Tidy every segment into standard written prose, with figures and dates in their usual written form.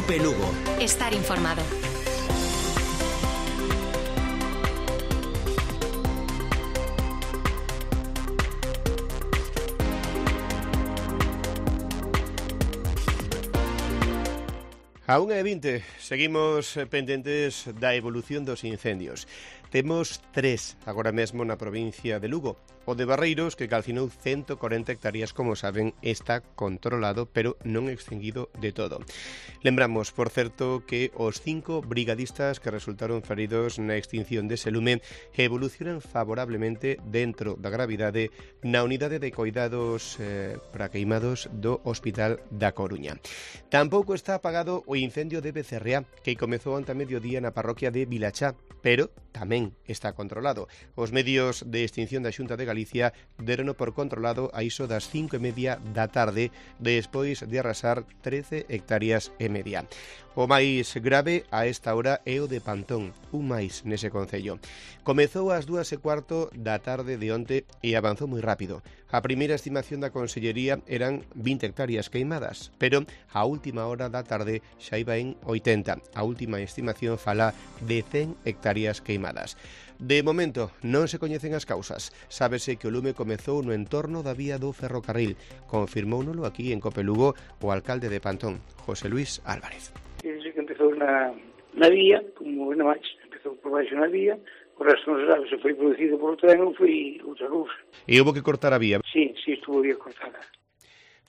COPE Lugo. Estar informado. A 1:20 seguimos pendentes da evolución dos incendios. Temos 3 agora mesmo na provincia de Lugo. O de Barreiros, que calcinou 140 hectáreas, como saben, está controlado, pero non extinguido de todo. Lembramos, por certo, que os 5 brigadistas que resultaron feridos na extinción dese lume evolucionan favorablemente dentro da gravidade na unidade de coidados para queimados do Hospital da Coruña. Tampouco está apagado o incendio de Becerreá, que comezou ante mediodía na parroquia de Vilachá, pero tamén está controlado. Os medios de extinción da Xunta de Galicia derono por controlado a iso das 5:30 da tarde, despois de arrasar 13 hectáreas e media. O máis grave a esta hora é o de Pantón, un máis nese concello. Comezou ás 2:15 da tarde de onte e avanzou moi rápido. A primeira estimación da Consellería eran 20 hectáreas queimadas, pero a última hora da tarde xa iba en 80. A última estimación fala de 100 hectáreas queimadas. De momento, non se coñecen as causas. Sábese que o lume comezou no entorno da vía do ferrocarril. Confirmóunolo aquí en COPE Lugo o alcalde de Pantón, José Luis Álvarez. Desde que empezou na vía, como non máis, empezou por baixo na vía, o resto non se sabe se foi producido por o tren ou foi outra cousa. E houve que cortar a vía? Sí, estuvo bien cortada.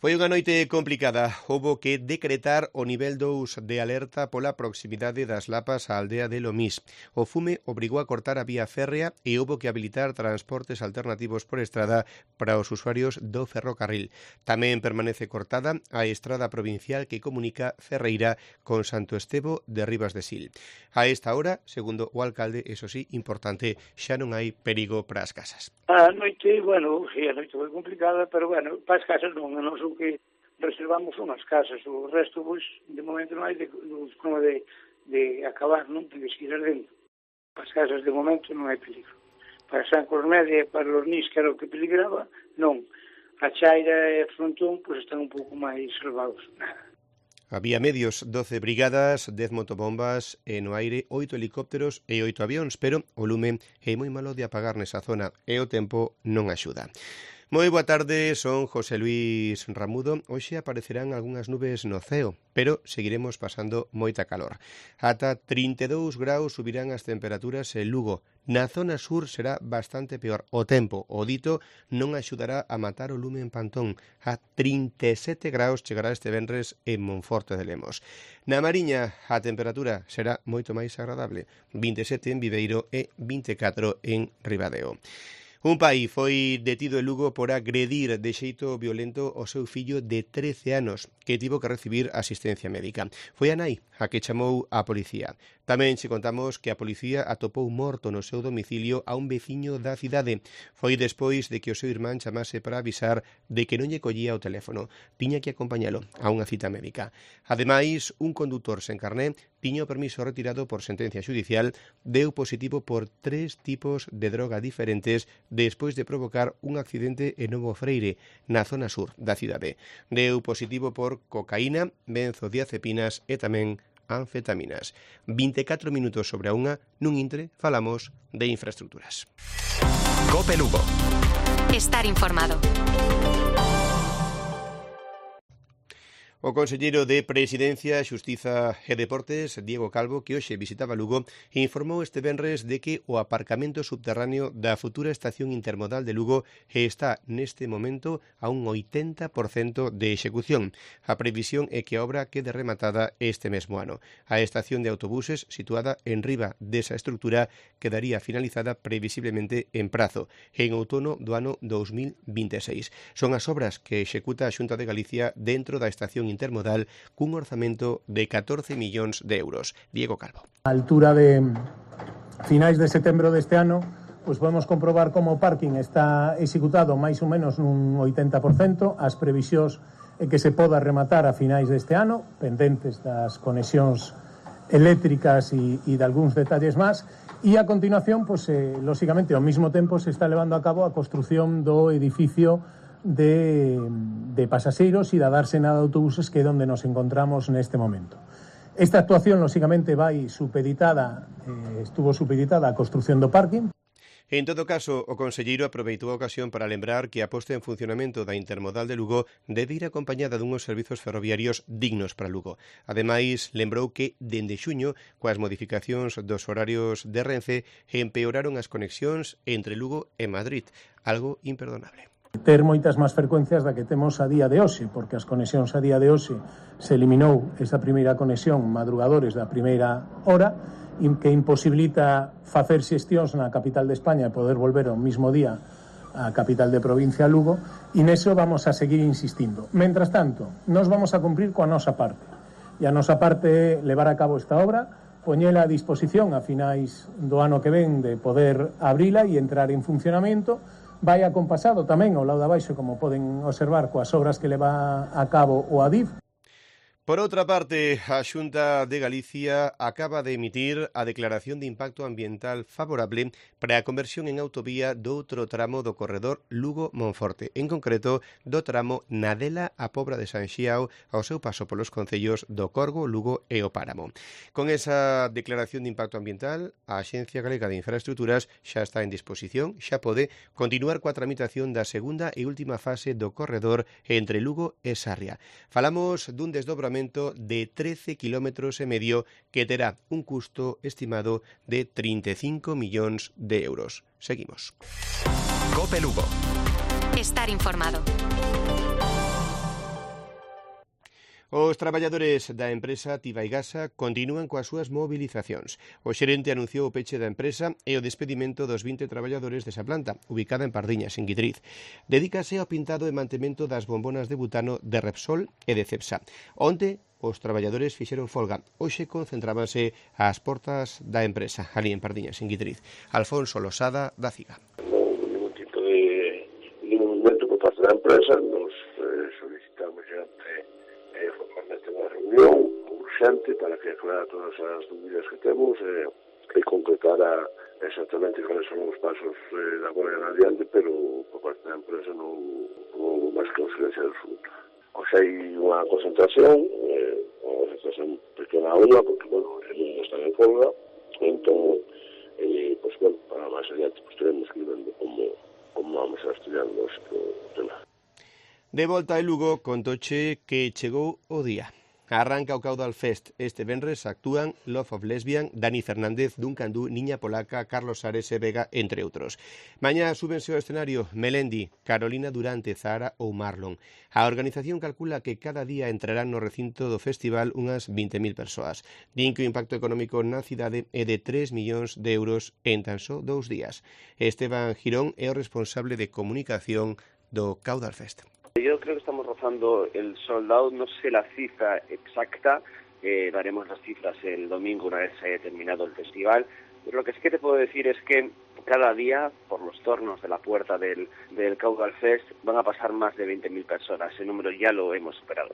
Foi unha noite complicada. Houbo que decretar o nivel 2 de alerta pola proximidade das lapas á aldea de Lomís. O fume obrigou a cortar a vía férrea e houbo que habilitar transportes alternativos por estrada para os usuarios do ferrocarril. Tamén permanece cortada a estrada provincial que comunica Ferreira con Santo Estevo de Ribas de Sil. A esta hora, segundo o alcalde, eso sí, importante, xa non hai perigo para as casas. A noite, sí, a noite foi complicada, pero para as casas non son que reservamos unhas casas, o resto, pois, de momento non hai de acabar, non? De seguir ardendo. Para as casas, de momento, non hai peligro. Para San Cormedia e para Lornís, que era o que peligraba, non. A Chaira e a Frontón, pois, están un pouco máis salvados. Había medios, 12 brigadas, 10 motobombas e no aire 8 helicópteros e 8 avións, pero o lume é moi malo de apagar nesa zona e o tempo non axuda. Moi boa tarde, son José Luis Ramudo. Hoxe aparecerán algunhas nubes no ceo, pero seguiremos pasando moita calor. Ata 32 graus subirán as temperaturas en Lugo. Na zona sur será bastante peor. O tempo, o dito, non axudará a matar o lume en Pantón. A 37 graus chegará este venres en Monforte de Lemos. Na Mariña, a temperatura será moito máis agradable. 27 en Viveiro e 24 en Ribadeo. Un pai foi detido en Lugo por agredir de xeito violento o seu fillo de 13 anos, que tivo que recibir asistencia médica. Foi a nai a que chamou a policía. Tamén che contamos que a policía atopou morto no seu domicilio a un veciño da cidade. Foi despois de que o seu irmán chamase para avisar de que non lle collía o teléfono. Tiña que acompañalo a unha cita médica. Ademais, un condutor sen carné tiña o permiso retirado por sentencia xudicial, deu positivo por 3 tipos de droga diferentes despois de provocar un accidente en Novo Freire, na zona sur da cidade. Deu positivo por cocaína, benzodiazepinas e tamén anfetaminas. 24 minutos sobre a unha, nun intre falamos de infraestructuras. COPE Lugo. Estar informado. O conselleiro de Presidencia, Xustiza e Deportes, Diego Calvo, que hoxe visitaba Lugo, informou este venres de que o aparcamento subterráneo da futura estación intermodal de Lugo está neste momento a un 80% de execución. A previsión é que a obra quede rematada este mesmo ano. A estación de autobuses, situada en riba desa estrutura, quedaría finalizada previsiblemente en prazo, en outono do ano 2026. Son as obras que executa a Xunta de Galicia dentro da estación intermodal cun orzamento de 14 millóns de euros. Diego Calvo. A altura de finais de setembro deste ano, pois podemos comprobar como o parking está executado máis ou menos nun 80%, as previsións é que se poda rematar a finais deste ano, pendentes das conexións eléctricas e de algúns detalles máis, e a continuación, pois, lóxicamente, ao mesmo tempo se está levando a cabo a construción do edificio de pasaxeiros e da dársena de autobuses, que é onde nos encontramos neste momento. Esta actuación, lóxicamente, estuvo supeditada á construción do parking. En todo caso, o conselleiro aproveitou a ocasión para lembrar que a posta en funcionamento da intermodal de Lugo debe ir acompañada dunhos servizos ferroviarios dignos para Lugo. Ademais, lembrou que, dende xuño, coas modificacións dos horarios de Renfe, empeoraron as conexións entre Lugo e Madrid, algo imperdonable. Ter moitas máis frecuencias da que temos a día de hoxe, porque as conexións a día de hoxe se eliminou esa primeira conexión madrugadores da primeira hora, que imposibilita facer xestións na capital de España e poder volver ao mismo día á capital de provincia Lugo, e neso vamos a seguir insistindo. Mentras tanto, nós vamos a cumprir coa nosa parte, e a nosa parte é levar a cabo esta obra, poñela a disposición a finais do ano que ven de poder abrila e entrar en funcionamento. Vai acompasado tamén ao lado de abaixo, como poden observar, coas obras que leva a cabo o ADIF. Por outra parte, a Xunta de Galicia acaba de emitir a declaración de impacto ambiental favorable para a conversión en autovía doutro tramo do corredor Lugo-Monforte, en concreto do tramo Nadela a Pobra de San Xiao ao seu paso polos concellos do Corgo, Lugo e o Páramo. Con esa declaración de impacto ambiental, a Axencia Galega de Infraestructuras xa está en disposición, xa pode continuar coa tramitación da segunda e última fase do corredor entre Lugo e Sarria. Falamos dun desdobramento de 13,5 kilómetros que terá un custo estimado de 35 millóns de euros. Seguimos. COPE Lugo. Estar informado. Os traballadores da empresa Tibaigasa continúan coas súas mobilizacións. O xerente anunciou o peche da empresa e o despedimento dos 20 traballadores desa planta, ubicada en Pardiñas, en Guidriz. Dedícase ao pintado e mantemento das bombonas de butano de Repsol e de Cepsa. Onte, os traballadores fixeron folga. Hoxe concentrábanse ás portas da empresa, ali en Pardiñas, en Guidriz. Alfonso Losada, da CIGA. Ningún tipo de movimento por parte da empresa. Nos solicitamos formalmente unha reunión urxente para que aclarar todas as dúbidas que temos e concretar exactamente cuáles son os pasos da agora en adiante, pero por parte da empresa non houve máis considencia do asunto. Hoxe hai unha concentración pequena unha, porque, eles están en folga, entón, para máis adiante, teremos que ir vendo como vamos a estudiando este tema. De volta a Lugo, contoche que chegou o día. Arranca o Caudal Fest. Este venres actúan Love of Lesbian, Dani Fernández, Duncan Du, Niña Polaca, Carlos Ares e Vega, entre outros. Mañá súbense ao escenario Melendi, Carolina Durante, Zahara ou Marlon. A organización calcula que cada día entrarán no recinto do festival unhas 20.000 persoas. Din que o impacto económico na cidade é de 3 millóns de euros en tan só 2 días. Esteban Girón é o responsable de comunicación do Caudal Fest. Yo creo que estamos rozando el sold out, no sé la cifra exacta, daremos las cifras el domingo una vez se haya terminado el festival, pero lo que sí que te puedo decir es que cada día, por los tornos de la puerta del Caudal Fest, van a pasar más de 20.000 personas, ese número ya lo hemos superado.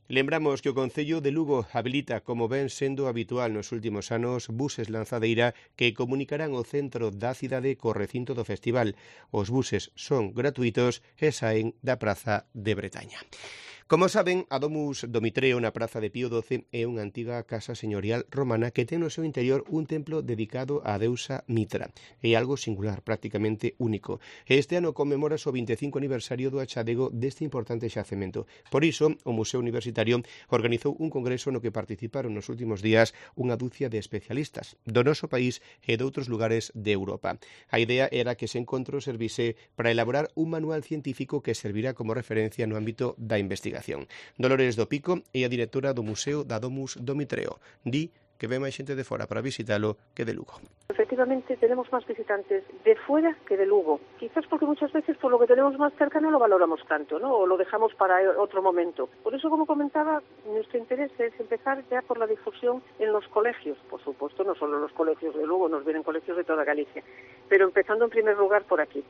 Lembramos que o Concello de Lugo habilita, como ven sendo habitual nos últimos anos, buses lanzadeira que comunicarán o centro da cidade co recinto do festival. Os buses son gratuitos e saen da Praza de Bretaña. Como saben, a Domus Domitreo na Praza de Pío XII é unha antiga casa señorial romana que ten no seu interior un templo dedicado á deusa Mitra. É algo singular, prácticamente único. Este ano conmemora o 25 aniversario do achadego deste importante xacemento. Por iso, o Museo Universitario organizou un congreso no que participaron nos últimos días unha dúcia de especialistas do noso país e de outros lugares de Europa. A idea era que ese encontro servise para elaborar un manual científico que servirá como referencia no ámbito da investigación. Dolores do Pico é a directora do Museo da Domus Domitreo. Di que ve máis xente de fora para visitalo que de Lugo. Efectivamente, tenemos más visitantes de fuera que de Lugo. Quizás porque muchas veces por lo que tenemos más cerca no lo valoramos tanto, ¿no? O lo dejamos para otro momento. Por eso, como comentaba, nuestro interés es empezar ya por la difusión en los colegios. Por supuesto, no solo los colegios de Lugo, nos vienen colegios de toda Galicia. Pero empezando en primer lugar por aquí.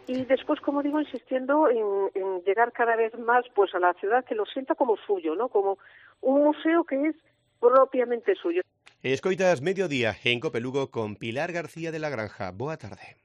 Y después, como digo, insistiendo en llegar cada vez más pues a la ciudad que lo sienta como suyo, ¿no? Como un museo que es propiamente suyo. Escoitas Mediodía en COPE Lugo con Pilar García de la Granja. Boa tarde.